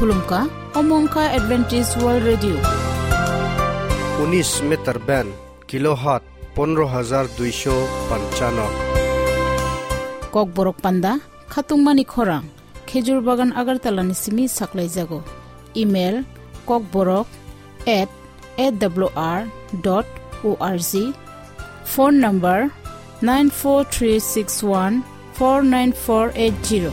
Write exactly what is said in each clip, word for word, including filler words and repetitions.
Khulumkha, omo wngkha Adventist World Radio. Unis meter band, kilohertz pondro hajar duisho panchano. Kokborok panda, khatungmani khorang, Khejur Bagan Agartala ni simi saklaijago. Email, kokborok at A W R dot O R G. Phone number nine four three six one four nine four eight zero.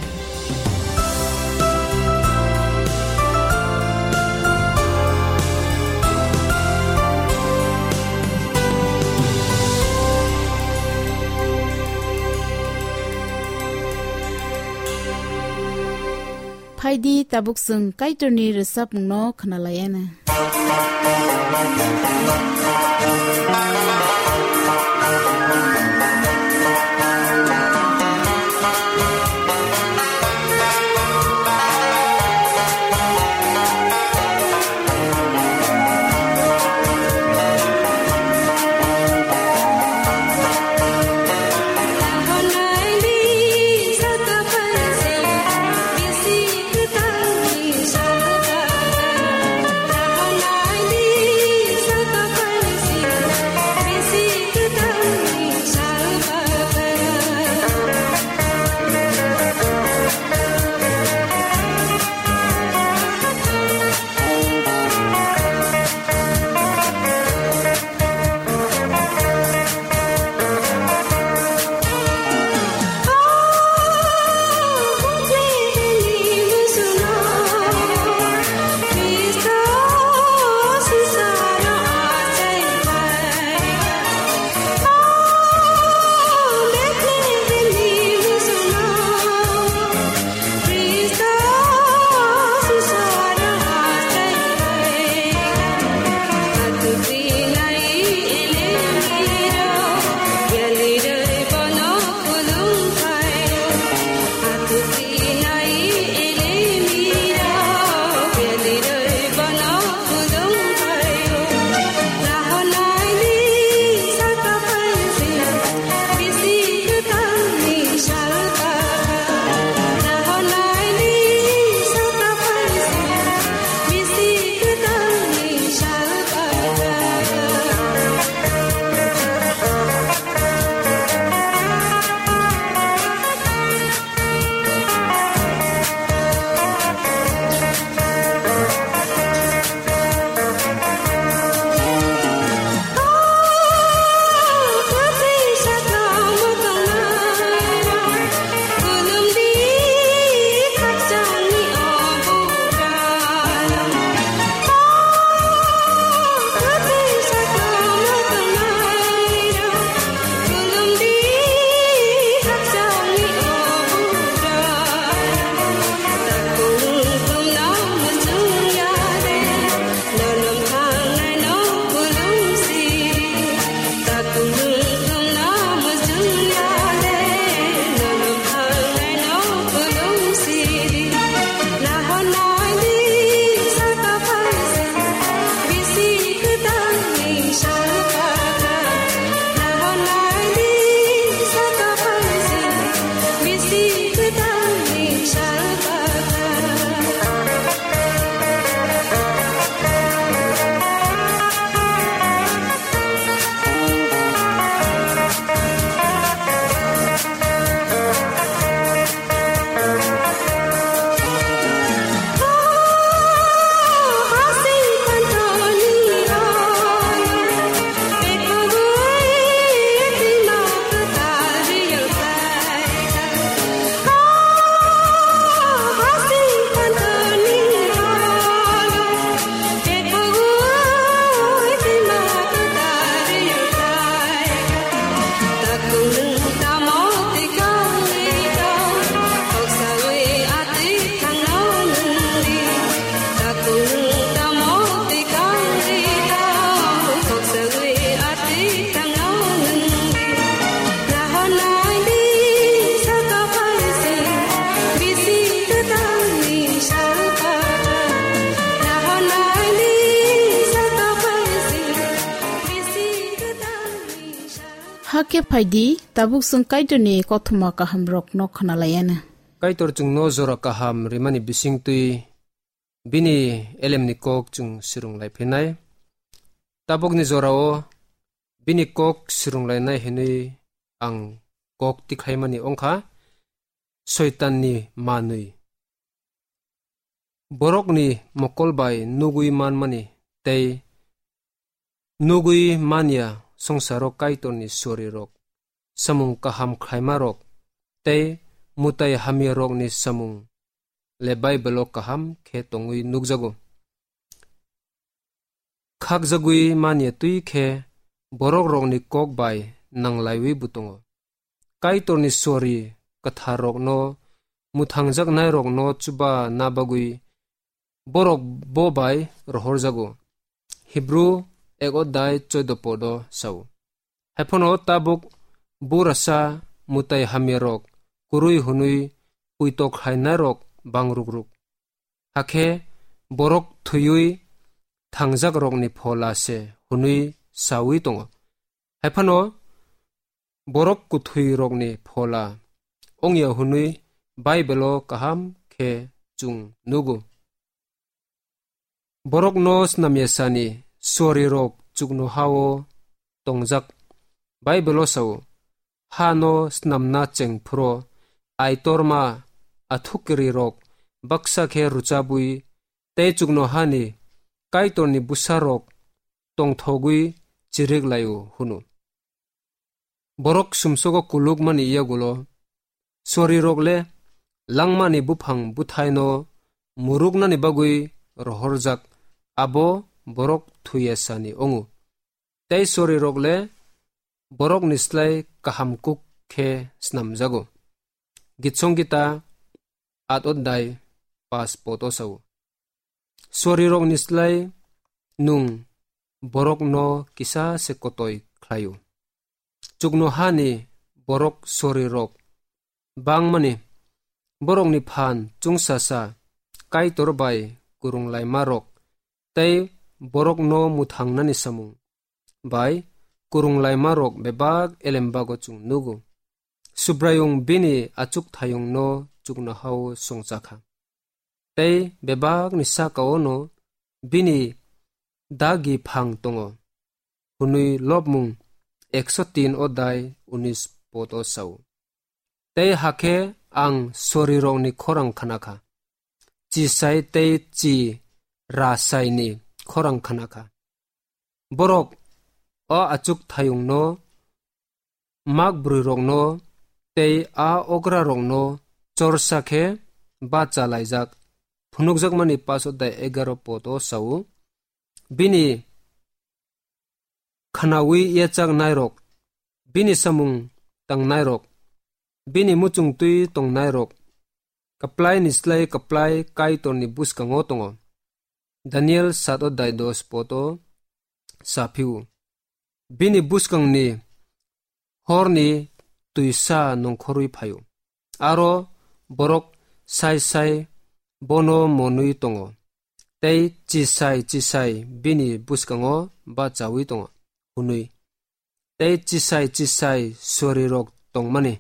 Phaidi tabuk chwng Kaitorni rwchapmungno khwnalaiana. Hakhe phaidi, tabuk chwng Kaitorni kothoma kahamrokno khwnalaiana. Kaitor chwngno jora kaham rimani bisingtwi Bini elemni kok chwng swrwng lai phinai. Tabukni jorao bini kok swrwng lainai hinwi ang kok tikhlaimani wngkha Soitanni manwi. Borokni mokol bai nugwi manmani tei nugwi manya songsaro Kaitorni sorirok, samung kaham khlaimarok tei mwtai hamyarokni samung le Baibelo kaham khe tongwi nukjago. Khakjagwi manya twi khe borokrokni kok bai nanglaiwi bo tongo. Kaitorni sori kwtharrokno mwthangjaknairokno chuba na bagwi borok bo bai rohorjago. Hibru ek odai choido podo sao. Haiphano tabuk burasa mwtai hamyarok kwrwi hwnwi puitok khlainairok bang rukruk. Hakhe borok thwiwi thangjakrokni phola se hwnwi sawi tongo. Haiphano borok kwthwirokni phola wngya hwnwi Baibelo kaham khe chwng nugo. Borokno snamyasani sorirok chuknohao tongjak. Baibelo sao, "Hano snamna chengphro aitorma athukrirok baksa khe rwchabwi tei chuknohani Kaitorni bwsarok tongthogwi chirik lai-o," hwno. Borok sumsogo kulukmani yagulo sorirok le langmani buphang bwthaino muruknani bagwi rohorjak, abo borok thuyasani wngo. Tei sorirok le borokni slai kaham kuk khe snamjago. Gitsong Gita at odai pas poto sao. Sorirokni slai nwng borokno kisa se kotoi khlaio. Chuknohani borok sorirok bangmani borokni phan chwngsasa Kaitor bai kwrwnglaimarok tei borokno mwthangnani samung bai kwrwnglaimarok bebak elembago chwng nugo. Subraiyung bini achukthayungno chuknohao songchakha. Tei bebakni saka-ono bini dagi phang tongo, hwnwi lobmung ekso tin odai unis poto sao. Tei hakhe ang sorirokni khorang khnakha, chisai tei chi rasaini khorang khnakha. Borok o achukthayungno, mak bwrwirokno tei a okrarokno chorsa khe bacha laijak, phunukjakmani paso dai egaro poto sao. Bini khnaui yachaknairok, bini samung tangnairok, bini muchungtwi tongnairok, kwplaini slai kwplai Kaitorni bwskango tongo. Daniel sat odai dos poto saphio. Bini bwskangni horni twisa nongkhorwi phaio. Aro borok sai sai bono monwi tongo. Tei chisai chisai bini bwskango bachaui tongo, hwnwi. Tei chisai chisai sorirok tongmani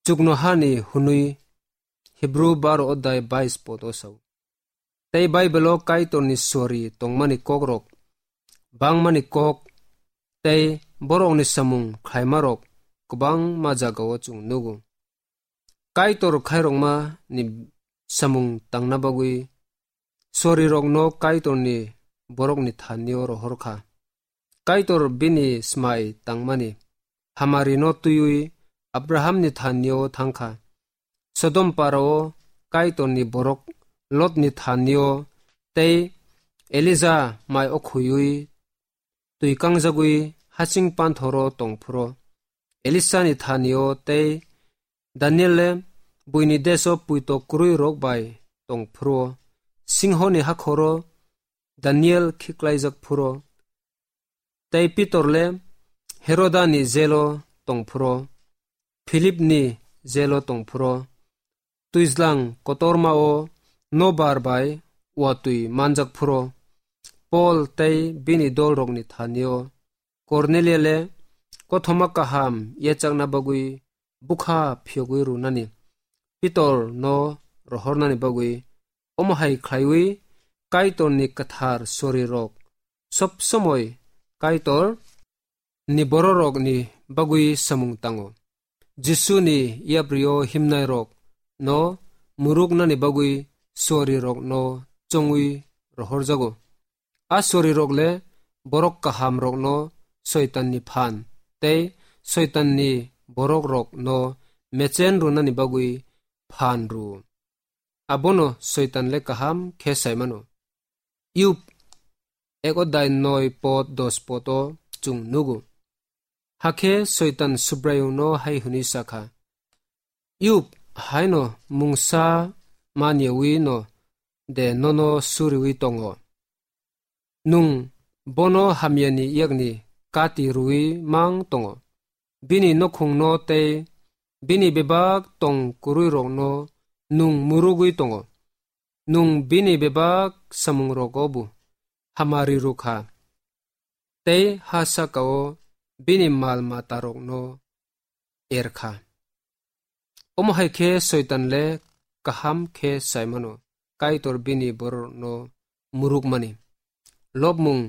chuknohani hwnwi Hibru baro odai bais poto sao. Tei Baibelo Kaitorni sori tongmani kokrok, bangmani kok, tei borokni samung khlaimarok kwbangma jagao chwng nugo. Kaitor khairokma ni samung tangna bagwi sorirokno Kaitorni borokni thanio rohorkha. Kaitor bini smai tangmani hamarino twiwi Abrahamni thanio thangkha. Sodom parao Kaitorni borok Lotni thanio tei Elija mai okhuiwi twi kangjagwi hasing panthoro tongphuro, Elisani thanio tei Danielle buini deso puito kwrwirok bai tongphuro, singhoni hakhoro Daniel khiklaijak phuro, tei Pitorle Herodani jelo tongphuro, Philipni jelo tongphuro, twijlang kotormao nobar bai watwi manjak phuro, Pol tei bini dolrokni thanio Korneliale kothoma kaham yachakna bagwi bwkha phiyogwi rwnani, Pitorno rohornani bagwi Omo hai khlaiwi Kaitorni kwthar sorirok sob somoi Kaitor ni bororokni bagwi samung tango. Jisuni yaprio himnairok no muruknani bagwi sorirok no chongwi rohorjago. A sorirok le borok kahamrok no Soitanni phan tei Soitanni borokrok no mechen rwnani bagwi phan rw. Abono Soitan le kaham khe sai mano. Yub ek odai noi pod dos pod o chwng nugo. Hakhe Soitan Subraiyungno hai hwnwi sa kha, "Yub haino mungsa manyawi no de nono suriwi tongo? Nwng bono hamyani yakni kati rwui mang tongo. Bini nokhungno tei bini bebak tong kwrwirokno nwng murugwi tongo. Nwng bini bebak samungrogo bo hamari rw kha, tei ha saka-o bini mal matarokno er kha." Omo hai khe Soitan le kaham khe sai mano Kaitor bini bororokno murukmani. Lobmung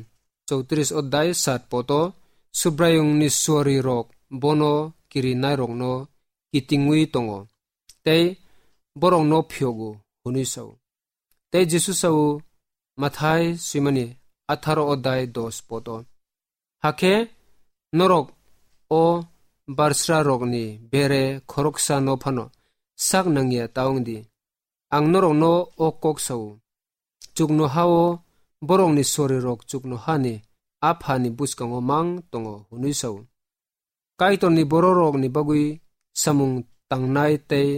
chowtris odai sat pod o, "Subraiyungni suarirok bono kirinairokno kitingwi tongo, tei borokno phiyogo," hwnwi sao. Tei Jisu sao, Mathai swimani atharo odai dos pod o, "Hakhe norok o barsrarokni bere khoroksano phano sak nangya ta wng di. Ang norokno o kok sao, chuknoha-o borokni sorirok chuknohani a Phani bwskango mang tongo," hwnwi sao. Kaitorni bororokni bagwi samung tangnai tei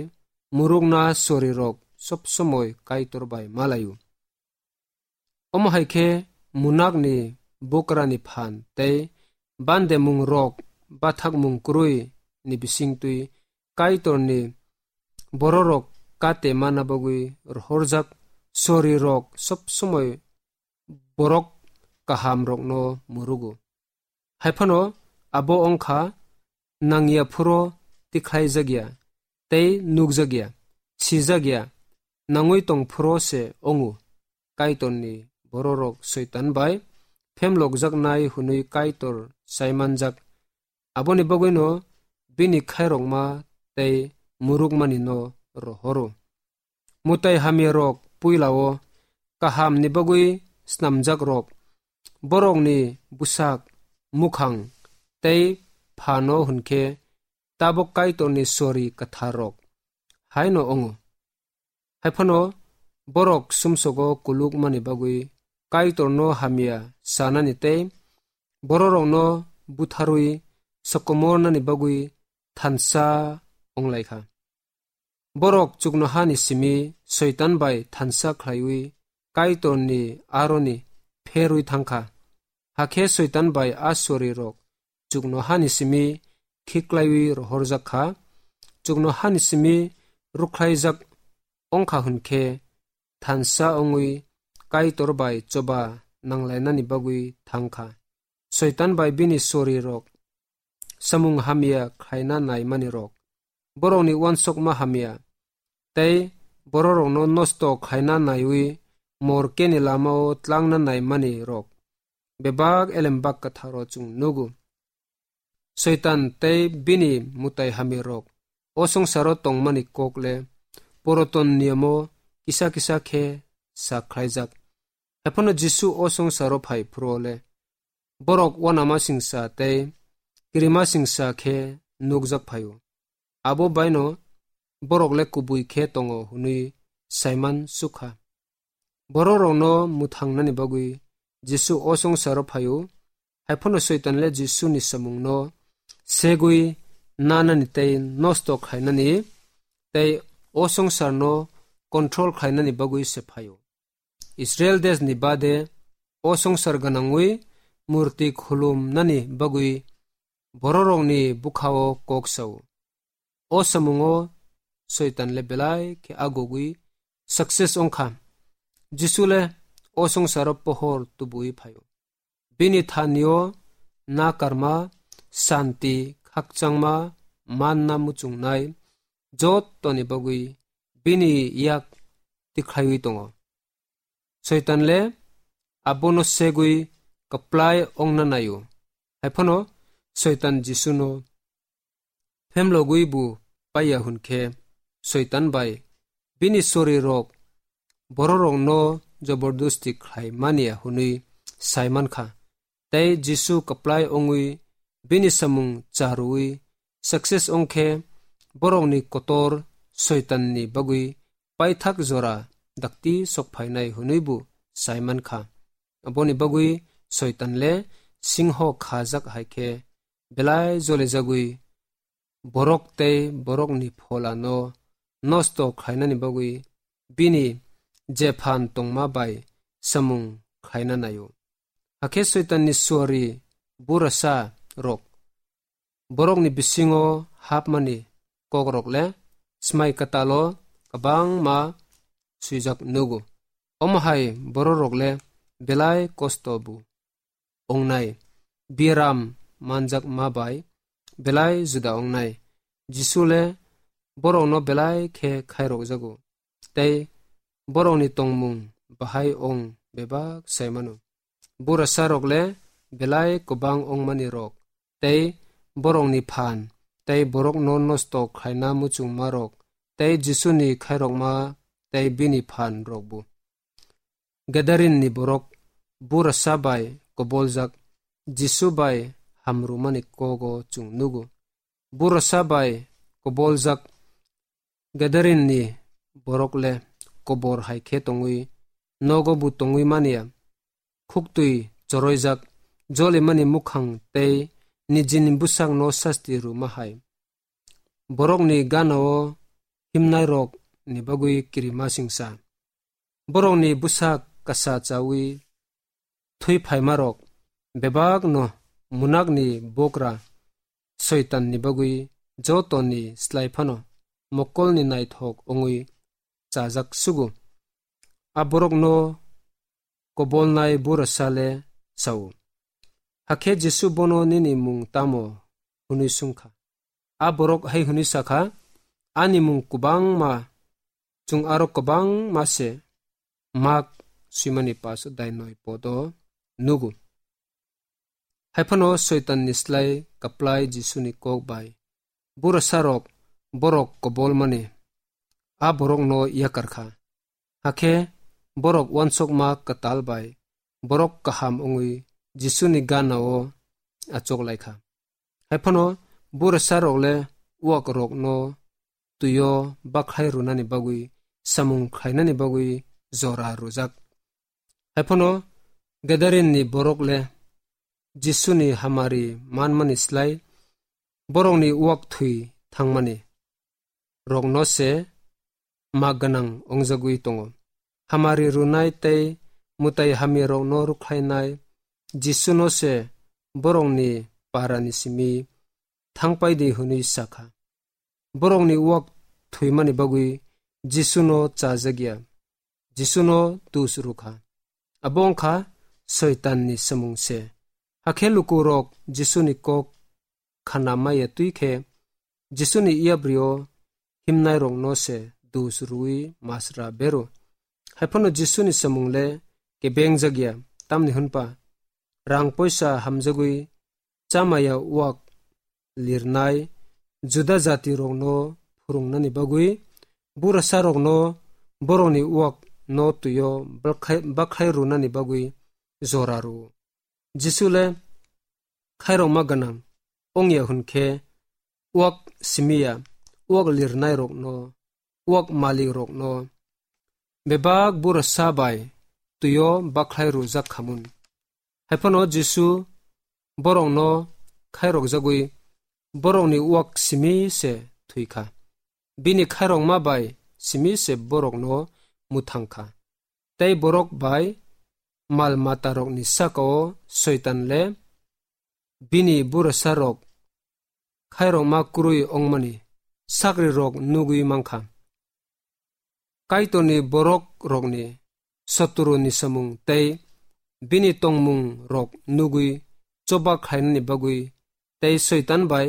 murukna sorirok sob somoi Kaitor bai malaio. Omo hai khe munakni bukrani phan tei bandemungrok bathakmung kwrwi ni bisingtwi Kaitorni bororok kate mana bagwi rohorjak sorirok sob somoi borok kahamrokno murugo. Hai phano abo wng kha nangya phuro tikhlaijakya tei nukjakya, sijakya, nangwi tong phuro se wngo. Kaitorni bororok Soitan bai phemlokjaknai hwnwi Kaitor sai manjak. Aboni bagwino bini khairokma tei murukmanino rohoro. Mutai hamyarok puila-o kahamni bagwi snamjakrok, borokni bwsak, mukhang tei phano hwn khe tabok Kaitorni sori kwtharrok haino wngo. Hai phano borok sumsogo kulukmani bagwi Kaitorno hamya sanani tei bororokno butharwi sokomornani bagwi thansa wng lai kha. Borok chuknohani simi Soitan bai thansa khlaiwi Kaitorni aroni pherwi thang kha. Hakhe Soitan bai a sorirok chuknohani simi khiklaiwi rohorjak kha. Chuknohani simi rwkhlaijak wng kha hwn khe thansa wngwi Kaitor bai choba nanglainani bagwi thang kha. Soitan bai bini sorirok samung hamya khlaina naimanirok, borokni uansukma hamya tei bororokno nosto khlaina naiwi morkeni lamao tlangna naimanirok bebak elembak kwtharo chwng nugo. Soitan tei bini mutai hamyarok o songsaro tongmani kok le Puraton Niyamo kisa kisa khe sak khlaijak. Haiphano Jisu o songsaro phai phuru le borok uanama singsa tei kirima singsa khe nukjak phaio. Abo baino borok le kubui khe tongo hwnwi saiman sukha. Bororokno mwthangnani bagwi Jisu o songsaro phaio, haiphano Soitan le Jisuni samungno segwi nanani tei nosto khlainani tei o songsarno control khlainani bagwi se phaio. Israel desni bade o songsar gwnangwi murti khulumnani bagwi bororokni bwkhao kok sao. O samungo Soitan le belai khe agogwi success wng kha. Jisu le o songsaro pohor tubuwi phaio. Bini thanio nakarma, santi, khakchangma, manna muchungnai jottoni bagwi bini yak tikhlaiwi tongo. Soitan le abono segwi kwplai ongna naio. Haiphano Soitan Jisuno phemlogwi bo paiya hwn khe, Soitan bai bini sorirok bororokno jobordosti khlai manya hwnwi sai man kha. Tei Jisu kwplai wngwi bini samung cha rwui success wng khe, borokni kotor Soitanni bagwi paithak jora dakti sok phainai hwnwi bo sai man kha. Aboni bagwi Soitan le singho khajak hai khe belai jolijagwi borok tei borokni pholano nosto khlainani bagwi bini jephan tongma bai samung khlaina naio. Hakhe Soitanni suari burasa rok borokni bisingo hapmani kokrok le Smai Kwtalo kwbangma swijak nugo. Omo hai bororok le belai kosto bo ongnai, biram manjakma bai belai juda ongnai. Jisu le borokno belai khe khairokjago, tei borokni tongmung bahai ong bebak sai mano. Burasarok le belai kwbang wngmani rok, tei borokni phan, tei borokno nosto khlaina muchungmarok, tei Jisuni khairokma tei bini phan rokbo. Gadarinni borok burasa bai koboljak Jisu bai hamrumani kogo chwng nugo. Burasa bai koboljak Gadarinni borok le kobor hai khe tongwi nogo bo tongwi manya, khuktwi choroijak, jolimani mukhang tei nijini bwsakno sasti rwma hai. Borokni gana-o himnairokni bagwi kirima singsa. Borokni bwsak kasa chawi thwi phaimarok bebakno munakni bugra Soitanni bagwi jotoni slai phano mokolni naithok wngwi chajak sugo. A borokno kobolnai burasa le sao. Hakhe Jisu bono, "Nini mung tamo?" hwnwi swng kha. A borok hai hwnwi sa kha, "Ani mung kwbangma, chwng aro kwbangma se." Mak swimani paso dai noi podo nugo. Haiphano Soitanni slai kwplai Jisuni kok bai burasarok borok kobolmani a borokno yakar kha. Hakhe borok uansukma kwtal bai borok kaham wngwi Jisuni gana-o achok lai kha. Haiphano burasarok le uakrokno twi-o bakhlai rwnani bagwi samung khlainani bagwi jora rwjak. Haiphano Gadarinni borok le Jisuni hamari manmani slai borokni uak thwi thangmani rokno se mak gwnang wngjagwi tongo. Hamari rwnai tei mwtai hamyarokno rwkhlainai Jisuno se borokni parani simi thangpai di hwnwi sa kha. Borokni uak thwimani bagwi Jisuno chajakya, Jisuno dus rw kha. Abo wng kha Soitanni samung se. Hakhe lukurok Jisuni kok khana maya twi khe Jisuni yapri-o himnairokno se dus rwui masra beru. Haiphano Jisuni samung le kebengjakya, tamni hwnba rang poisa hamjagwi chamaya uak lirnai Juda jatirokno phwrwngnani bagwi burasarokno borokni uakno twi-o bakhlai, bakhlai rwnani bagwi jora rwo. Jisu le khairokma gwnang wngya hwn khe uak simiya, uak lirnairokno, uak malikrokno bebak burasa bai twi-o bakhlai rwjak khamun. Haiphano Jisu borokno khairokjagwi borokni uak simi se thwi kha. Bini khairokma bai simi se borokno mwthang kha. Tei borok bai mal matarokni saka-o Soitan le bini burasarok khairokma kwrwi wngmani sakrirok nugwi man kha. Kaitorni borokrokni sotruni samung tei bini tongmungrok nugwi choba khlainani bagwi tei Soitan bai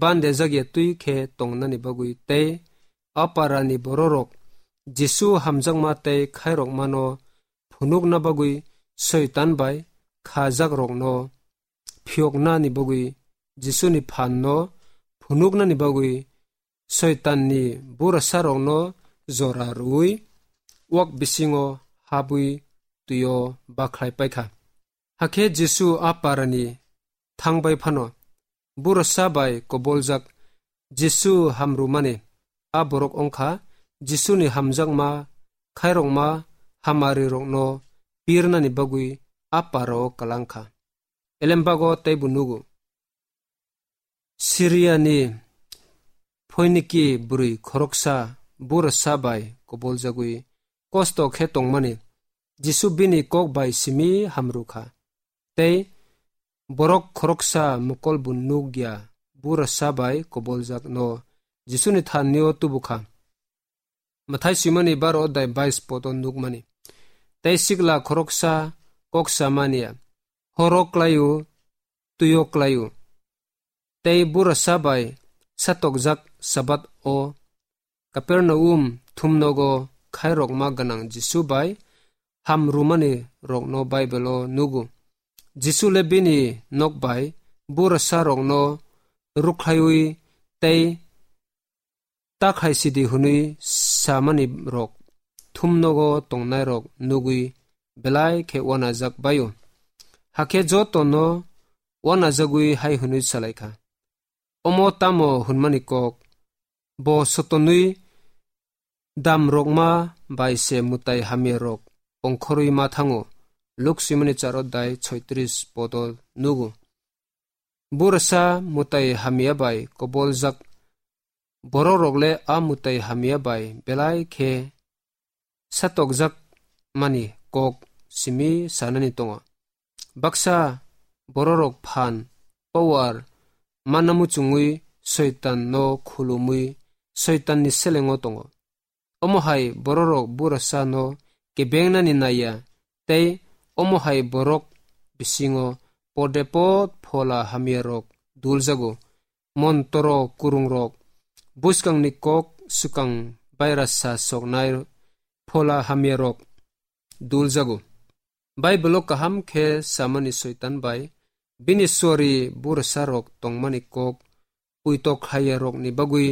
bandejakya twi khe tongnani bagwi tei aparani bororok Jisu hamjakma tei khairokmano phunukna bagwi Soitan bai khajakrokno phiyoknani bagwi, Jisuni phanno phunuknani bagwi Soitanni burasarokno jora rwui wak bisingo habwi twio bakhlai paikha. Hakhe Jisu a parani thangbai phano burasa bai koboljak Jisu hamrwmani a borok wngkha Jisuni hamjakma khairokma hamarirokno pirnani bagwi a parao kwlangkha. Elembago teibo nugo. Siriani Phoiniki bwrwi khoroksa burasa bai koboljagwi kosto khe tongmani Jisu bini kok bai simi hamrwkha. Tei borok khoroksa mokolbo nukya burasa bai koboljakno Jisuni thanio tubukha. Mathai swimani baro odai bais poto nukmani. Tei sikla khoroksa kok samania, horo klaio, twio klaio. Tei burasa bai satokjak Sabat o Kapernaum thumnogo khairokma gwnang Jisu bai hamrwmani rokno Baibelo nugo. Jisu le bini nok bai burasa rokno rukhlaiwi tei ta khaisidi hwnwi samani rok thumnogo tongnairok nugwi belai khe uanajak baio. Hakhe jotono uanajagwi hai hwnwi salaikha, "Omo tamo hwnmani kok? Bo sotonwi damrokma bai se mwtai hamyarok ongkhorwi ma thango." Luk swimani charo dai soitris poto nugo. Burasa mwtai hamya bai koboljak bororok le a mwtai hamya bai belai khe satokjak mani kok simi sanani tongo. Baksa bororok phan, power, manna muchungwi Soitanno khulumwi Soitanni selengo tongo. Omo hai bororok burasano kebengnani naiya, tei omo hai borok bisingo podepot phola hamyarok duljago, montoro kurungrok, bwskangni kok swkang bairasa soknai phola hamyarok duljago. Baibolo kaham khe samani Soitan bai bini suari burasarok tongmani kok puitok khlaiyarokni bagwi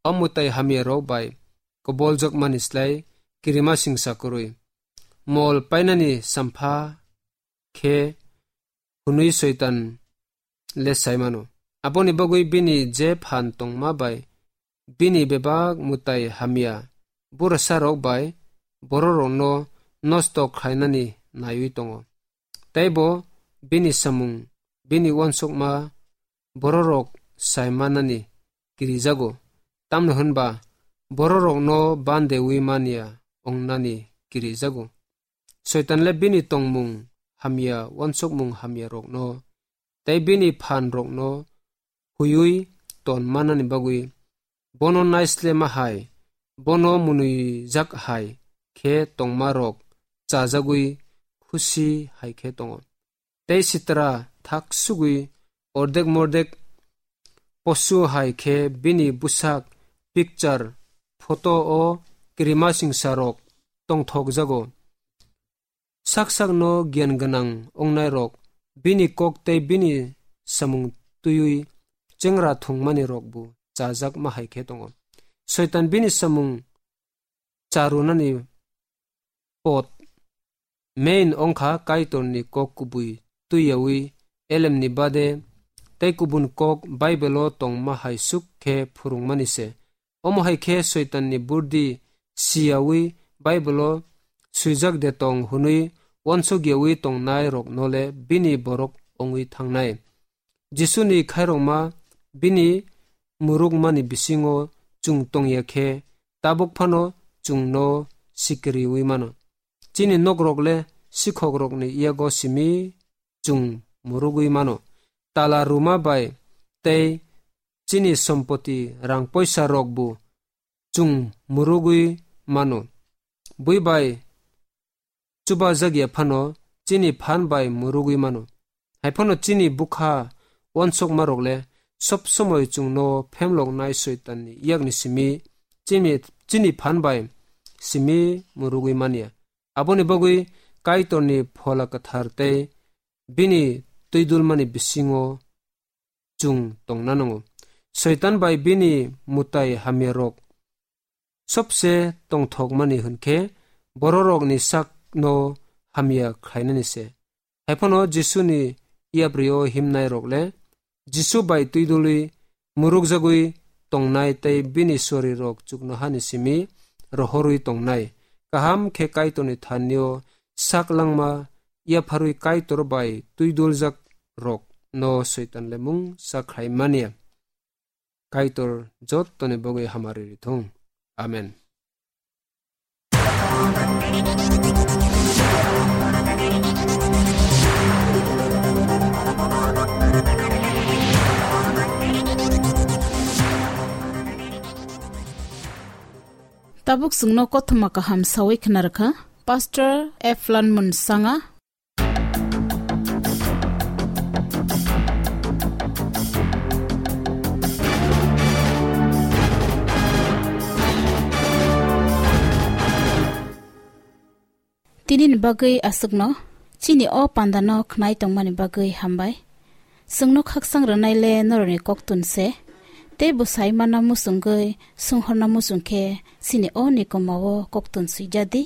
o mwtai hamyarok bai koboljakmani slai kirima singsa kwrwi. Mol painani sampha khe hwnwi Soitan le sai mano. Aboni bagwi bini je phan tongma bai bini bebak mwtai hamya burasarok bai bororokno nosto khlainani naiwi tongo. Teibo bini samung, bini uansukma bororok sai manani kirijago, tamni hwnba bororokno bandewi manya wngnani kirijago. Soitan le bini tongmung hamya, uansukmung hamyarokno tei bini phanrokno huiwi ton manani bagwi bono naislema hai, bono mwnwijak hai khe tongmarok chajagwi khusi hai khe tongo. Tei sitra thak sugwi ordek mordek posu hai khe bini bwsak picture, photo o kirima singsarok tongthokjago. Sak sakno giyan gwnang wngnairok bini kok tei bini samung twiwi chengra thwngmani rokbo chajak ma hai khe tongo. Soitan bini samung charunani pot main wngkha Kaitorni kok kubui twiyawi elemni bade tei kubun kok Baibelo tongma hai suk khe phwrwngmani se. Omo hai khe Soitanni burdi siyawi Baibolo swijak de tong hwnwi uansukyawi tongnai rokno le bini borok wngwi thangnai. Jisuni khairokma bini murukmani bisingo chwng tongya khe tabuk phano chwngno sikiriwi mano. Chini nokrok le sikhokrokni yago simi chwng murugwi mano. Tala rwma bai tei chini sompoti rang poisa rokbo chwng murugwi mano. Bui bai chubajak ya phano chini phan bai murugwi mano. Hai phano chini bwkha uansukmarok le sob somoi chwngno phemloknai Soitanni yakni simi chini, chini phan bai simi murugwi manya. Aboni bagwi Kaitorni Phola Kwthar tei bini twidulmani bisingo chwng tongna nango. Soitan bai bini mwtai hamyarok sobse tongthokmani hwnkhe bororokni sakno hamya khlainani se. Haiphano Jisuni yaprio himnai rok le Jisu bai twidulwi murukjagwi tongnai tei bini sori rok chuknohani simi rohorwi tongnai. Kaham khe Kaitorni thanio sak langma yapharwi Kaitor bai twiduljak rok no Soitan lemung sa khlai manya. Kaitor jottoni bagwi hamari rithung. Amen. Tabuk chwngno kothoma kaham sawi khna rwkha Pastor Eflan Munsanga. Tinini bagwi aswkno, chini o pandano khnai tongmani bagwi hambai. Chwngno khaksang rwnai le norokni koktun se, tei bwsai mana muchungwi sunghorna muchung khe chini o nikoma o koktun swijadi.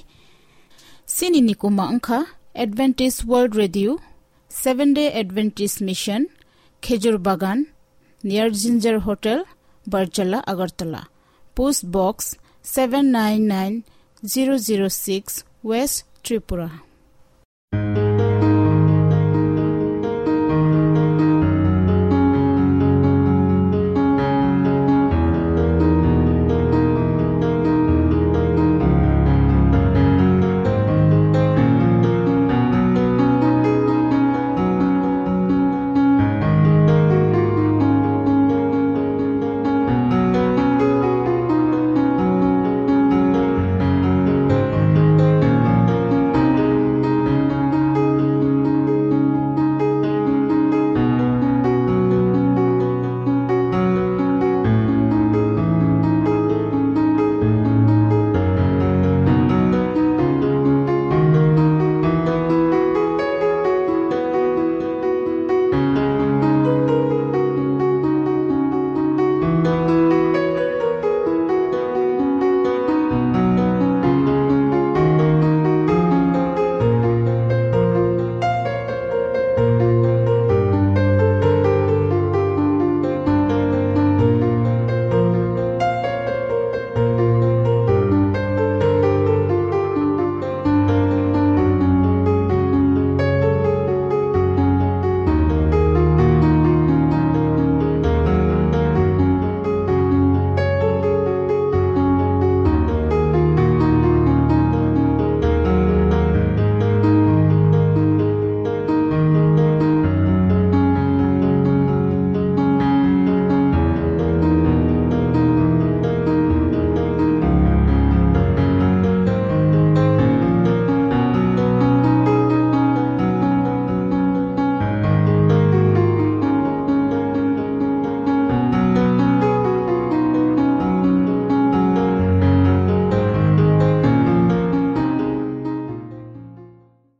Chini nikoma wngkha Adventist World Radio, Seventh Day Adventist Mission, Khejur Bagan, near Ginger Hotel, Barjala, Agartala. Post Box seven nine nine zero zero six, West Tripura.